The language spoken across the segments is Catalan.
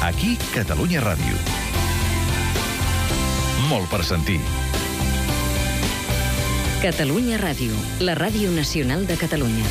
Aquí, Catalunya Ràdio. Molt per sentir. Catalunya Ràdio, la ràdio nacional de Catalunya.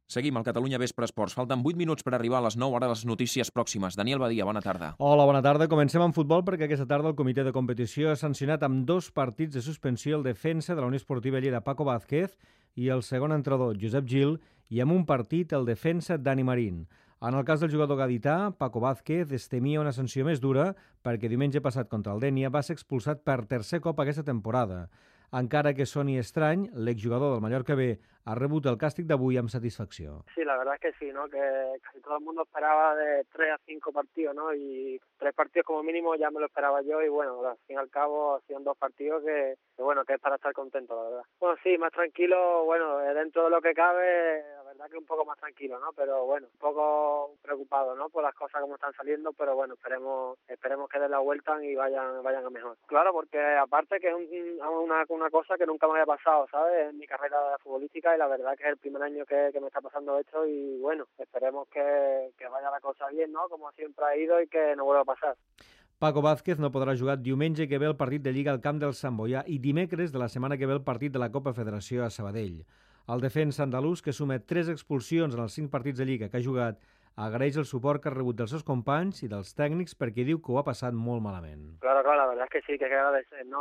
Seguim al Catalunya Vespre Esports. Falten 8 minuts per arribar a les 9, ara les notícies pròximes. Daniel Badia, bona tarda. Hola, bona tarda. Comencem amb futbol perquè aquesta tarda el comitè de competició ha sancionat amb 2 partits de suspensió el defensa de la Unió Esportiva Lleida, Paco Vázquez, i el segon entrenador, Josep Gil, i amb un partit el defensa Dani Marín. En el cas del jugador gadità, Paco Vázquez es temia una sanció més dura perquè diumenge passat contra el Dénia va ser expulsat per tercer cop aquesta temporada. Encara que soni estrany, l'exjugador del Mallorca B ha rebut el càstig d'avui amb satisfacció. Sí, la verdad es que sí, ¿no? Que casi todo el mundo esperaba de 3 a 5 partidos, ¿no? Y 3 partidos como mínimo ya me lo esperaba yo y bueno, al fin y al cabo han 2 partidos que es para estar contento, la verdad. Bueno, sí, más tranquilo, bueno, dentro de lo que cabe, la verdad que un poco más tranquilo, ¿no? Pero bueno, un poco preocupado, ¿no? Por las cosas como están saliendo, pero bueno, esperemos que den la vuelta y vayan a mejor. Claro, porque aparte que es una cosa que nunca me había pasado, ¿sabes? En mi carrera futbolística y la verdad que es el primer año que me está pasando esto y bueno, esperemos que vaya la cosa bien, ¿no? Como siempre ha ido y que no vuelva a pasar. Paco Vázquez no podrà jugar diumenge que ve el partit de Lliga al camp del Sant Boià i dimecres de la setmana que ve el partit de la Copa Federació a Sabadell. El defensa andalús, que suma 3 expulsions en els 5 partits de Lliga que ha jugat, agraeix el suport que ha rebut dels seus companys i dels tècnics perquè diu que ho ha passat molt malament. Claro, la verdad es que sí, que hay que agradecer, ¿no?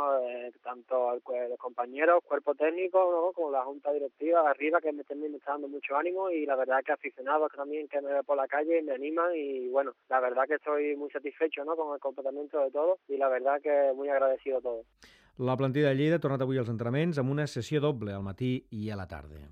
Tanto a los compañeros, cuerpo técnico, ¿no? Como la junta directiva arriba, que me está dando mucho ánimo y la verdad que aficionados también que me ven por la calle y me animan y bueno, la verdad que estoy muy satisfecho, ¿no? Con el comportamiento de todos y la verdad que muy agradecido a todos. La plantilla de Lleida ha tornat avui als entrenaments amb una sessió doble al matí i a la tarda.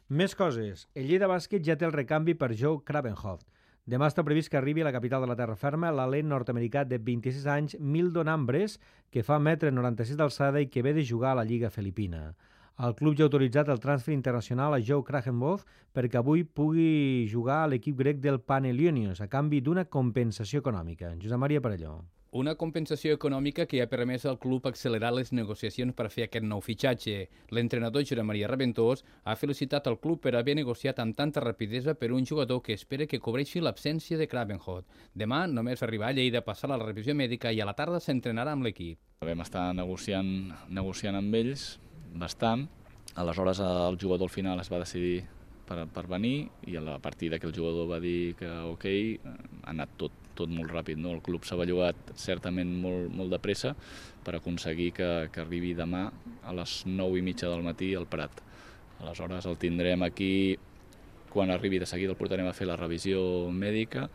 Més coses. El Lleida Bàsquet ja té el recanvi per Joe Krabenhoft. Demà està previst que arribi a la capital de la terra ferma l'alent nord-americà de 26 anys Mildon Ambres, que fa 1,96 m d'alçada i que ve de jugar a la Lliga Filipina. El club ja ha autoritzat el transfer internacional a Joe Krabenhoft perquè avui pugui jugar a l'equip grec del Panhellenios a canvi d'una compensació econòmica. Josep Maria Parelló. Una compensació econòmica que ha permès al club accelerar les negociacions per fer aquest nou fitxatge. L'entrenador Josep Maria Raventós ha felicitat el club per haver negociat amb tanta rapidesa per un jugador que espera que cobreixi l'absència de Krabenhoft. Demà només arribar a Lleida, passar la revisió mèdica i a la tarda s'entrenarà amb l'equip. Vam estar negociant amb ells bastant. Aleshores el jugador al final es va decidir per venir i a partir que el jugador va dir que ok, ha anat tot molt ràpid, no? El club s'ha bellugat certament molt de pressa per aconseguir que arribi demà a les 9:30 del matí al Prat. Aleshores el tindrem aquí, quan arribi de seguida el portarem a fer la revisió mèdica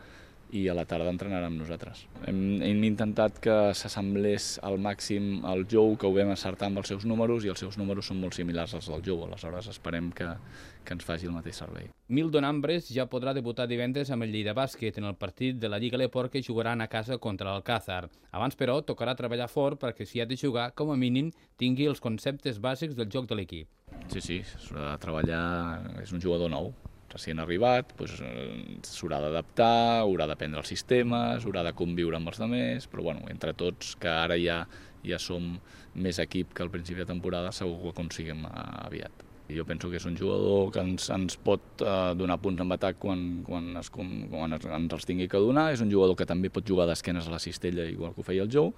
i a la tarda entrenarà amb nosaltres. Hem intentat que s'assemblés al màxim al Jou, que ho vam acertar amb els seus números, i els seus números són molt similars als del Jou, aleshores esperem que ens faci el mateix servei. Mildon Ambres ja podrà debutar divendres amb el Lleida Bàsquet en el partit de la Lliga Leport que jugaran a casa contra l'Alcázar. Abans, però, tocarà treballar fort perquè si ha de jugar, com a mínim, tingui els conceptes bàsics del joc de l'equip. Sí, s'haurà de treballar, és un jugador nou, recient arribat, s'haurà d'adaptar, haurà d'aprendre els sistemes, haurà de conviure amb els altres, però bueno, entre tots, que ara ja som més equip que al principi de temporada, segur que ho aconseguim aviat. Jo penso que és un jugador que ens pot donar punts en atac quan ens els tingui que donar, és un jugador que també pot jugar d'esquenes a la cistella, igual que ho feia el Jou,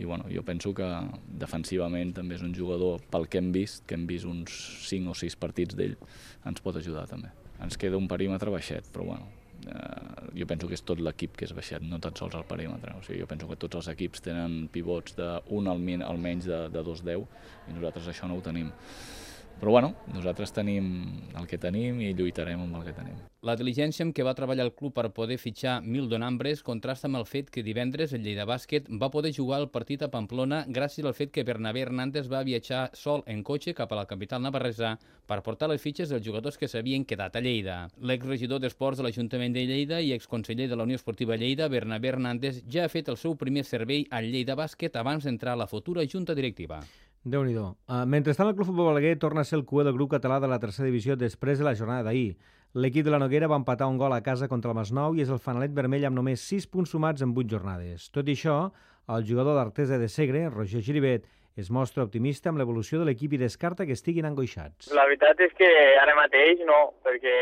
i bueno, jo penso que defensivament també és un jugador, pel que hem vist uns 5 o 6 partits d'ell, ens pot ajudar també. Ens queda un perímetre baixet, però bueno, jo penso que és tot l'equip que és baixet, no tan sols el perímetre. O sigui, jo penso que tots els equips tenen pivots d'un almenys de 2,10 i nosaltres això no ho tenim. Però bueno, nosaltres tenim el que tenim i lluitarem amb el que tenim. La diligència amb què va treballar el club per poder fitxar Mildon Ambres contrasta amb el fet que divendres el Lleida Bàsquet va poder jugar el partit a Pamplona gràcies al fet que Bernabé Hernández va viatjar sol en cotxe cap a la capital navarresa per portar les fitxes dels jugadors que s'havien quedat a Lleida. L'exregidor d'Esports de l'Ajuntament de Lleida i exconseller de la Unió Esportiva Lleida, Bernabé Hernández, ja ha fet el seu primer servei al Lleida Bàsquet abans d'entrar a la futura junta directiva. Déu-n'hi-do. Mentrestant, el Club Futbol Balaguer torna a ser el cuer del grup català de la tercera divisió després de la jornada d'ahir. L'equip de la Noguera va empatar un gol a casa contra el Masnou i és el fanalet vermell amb només 6 punts sumats en 8 jornades. Tot i això, el jugador d'Artesa de Segre, Roger Giribet, es mostra optimista amb l'evolució de l'equip i descarta que estiguin angoixats. La veritat és que ara mateix no, perquè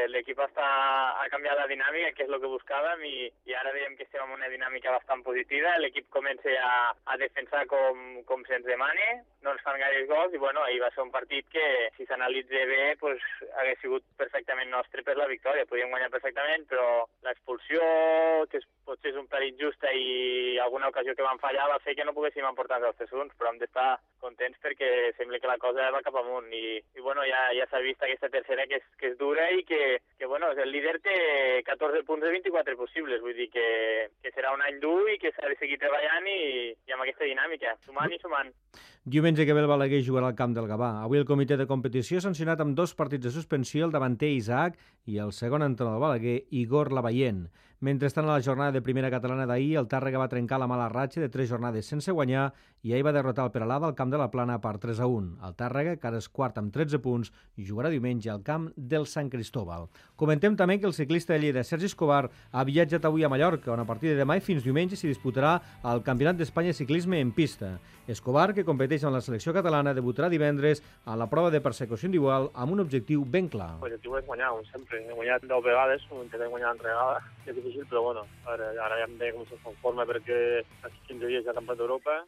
l'equip ha canviat la dinàmica, que és el que buscàvem, i ara veiem que estem en una dinàmica bastant positiva. L'equip comença a defensar com se'ns demana, no ens fan gaires gols, i bueno, ahir va ser un partit que, si s'analitza bé, pues, hagués sigut perfectament nostre per la victòria. Podíem guanyar perfectament, però l'expulsió, que potser és un pel injusta, i alguna ocasió que van fallar va fer que no poguéssim emportar els 3 punts, però hem d'estar contents perquè sembla que la cosa va cap amunt, i bueno, ja s'ha vist aquesta tercera que és dura, i que bueno, el líder té 14 punts de 24 possibles, vull dir que serà un any dur i que s'ha de seguir treballant i amb aquesta dinàmica, sumant i sumant. Diumenge que ve el Balaguer jugarà al camp del Gavà. Avui el comitè de competició ha sancionat amb 2 partits de suspensió el davanter Isaac i el segon entrenador del Balaguer, Igor Lavallent. Mentrestant, a la jornada de primera catalana d'ahir, el Tàrrega va trencar la mala ratxa de 3 jornades sense guanyar i ahir va derrotar el Peralada al camp de la Plana per 3-1. El Tàrrega, que ara és quart amb 13 punts, jugarà diumenge al camp del Sant Cristóbal. Comentem també que el ciclista de Lleida, Sergi Escobar, ha viatjat avui a Mallorca, on a partir de demà i fins diumenge s'hi disputarà el Campionat d'Espanya de Ciclisme en pista. Escobar, que competeix amb la selecció catalana, debutarà divendres a la prova de persecució individual amb un objectiu ben clar. L'objectiu és guanyar, com sempre. He guanyat 10 vegades, intentem guanyar l'altra vegada. És difícil, però bueno, ara ja em veig com se conforma perquè aquí 15 dies ja Campionat d'Europa